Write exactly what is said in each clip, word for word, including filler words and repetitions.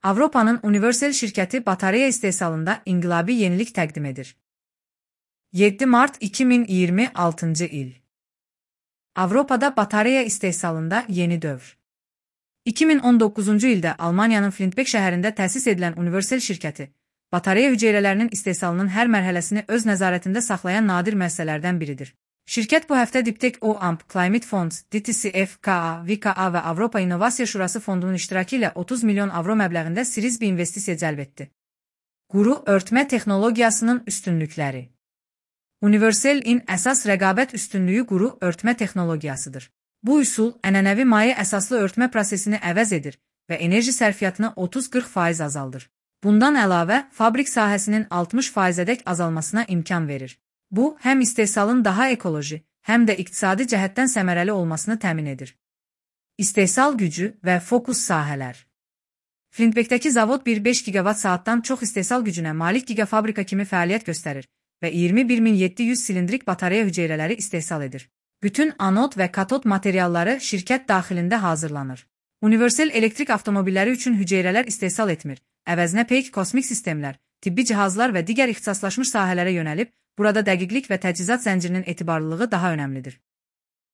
Avropanın Universal şirkəti batareya istehsalında inqilabi yenilik təqdim edir. yeddi mart iki min iyirmi altıncı il. Avropada batareya istehsalında yeni dövr. iki min on doqquzuncu ildə Almaniyanın Flintbeck şəhərində təsis edilən Universal şirkəti, batareya hüceyrələrinin istehsalının hər mərhələsini öz nəzarətində saxlayan nadir müəssisələrdən biridir. Şirkət bu həftə Diptech O A M P, Climate Funds, D T C F, K A, V K A və Avropa İnnovasiya Şurası fondunun iştirakı ilə otuz milyon avro məbləğində Series B investisiya cəlb etdi. Quru örtmə texnologiyasının üstünlükləri. Universal-in əsas rəqabət üstünlüyü quru örtmə texnologiyasıdır. Bu üsul ənənəvi maye əsaslı örtmə prosesini əvəz edir və enerji sərfiyyatını otuz qırx faiz azaldır. Bundan əlavə, fabrik sahəsinin altmış faizədək azalmasına imkan verir. Bu, həm istehsalın daha ekoloji, həm də iqtisadi cəhətdən səmərəli olmasını təmin edir. İstehsal gücü və fokus sahələr. Flintbeckdəki zavod bir beş gigavat saatdan çox istehsal gücünə malik gigafabrika kimi fəaliyyət göstərir və iyirmi bir min yeddi yüz silindrik batareya hüceyrələri istehsal edir. Bütün anod və katod materialları şirkət daxilində hazırlanır. Universal elektrik avtomobilləri üçün hüceyrələr istehsal etmir, əvəzinə peyk kosmik sistemlər, tibbi cihazlar və digər ixtisaslaşmış sahələrə yönəlib, burada dəqiqlik və təchizat zəncirinin etibarlılığı daha önəmlidir.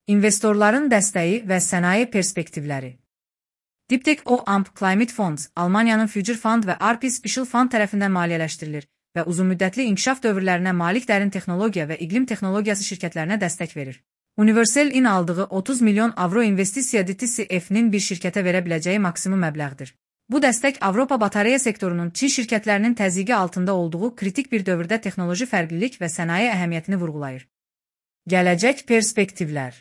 İnvestorların dəstəyi və sənaye perspektivləri. Diptech O A M P, Climate Funds, Almaniyanın Future Fund və R P Special Fund tərəfindən maliyyələşdirilir və uzunmüddətli inkişaf dövrlərinə malik dərin texnologiya və iqlim texnologiyası şirkətlərinə dəstək verir. Universal-in aldığı otuz milyon avro investisiya D T C F-nin bir şirkətə verə biləcəyi maksimum məbləğdir. Bu dəstək Avropa batareya sektorunun Çin şirkətlərinin təzyiqi altında olduğu kritik bir dövrdə texnoloji fərqlilik və sənaye əhəmiyyətini vurğulayır. Gələcək perspektivlər.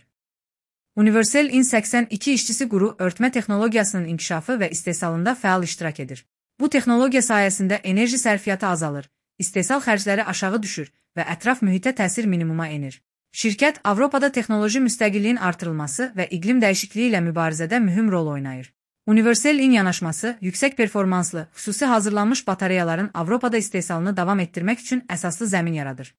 Universal-in səksən iki işçisi quru örtmə texnologiyasının inkişafı və istehsalında fəal iştirak edir. Bu texnologiya sayəsində enerji sərfiyyatı azalır, istehsal xərcləri aşağı düşür və ətraf mühitə təsir minimuma enir. Şirkət Avropada texnoloji müstəqilliyin artırılması və iqlim dəyişikliyi ilə mübarizədə mühüm rol oynayır. Universal-in yanaşması, yüksək performanslı, xüsusi hazırlanmış batareyaların Avropada istehsalını davam etdirmək üçün əsaslı zəmin yaradır.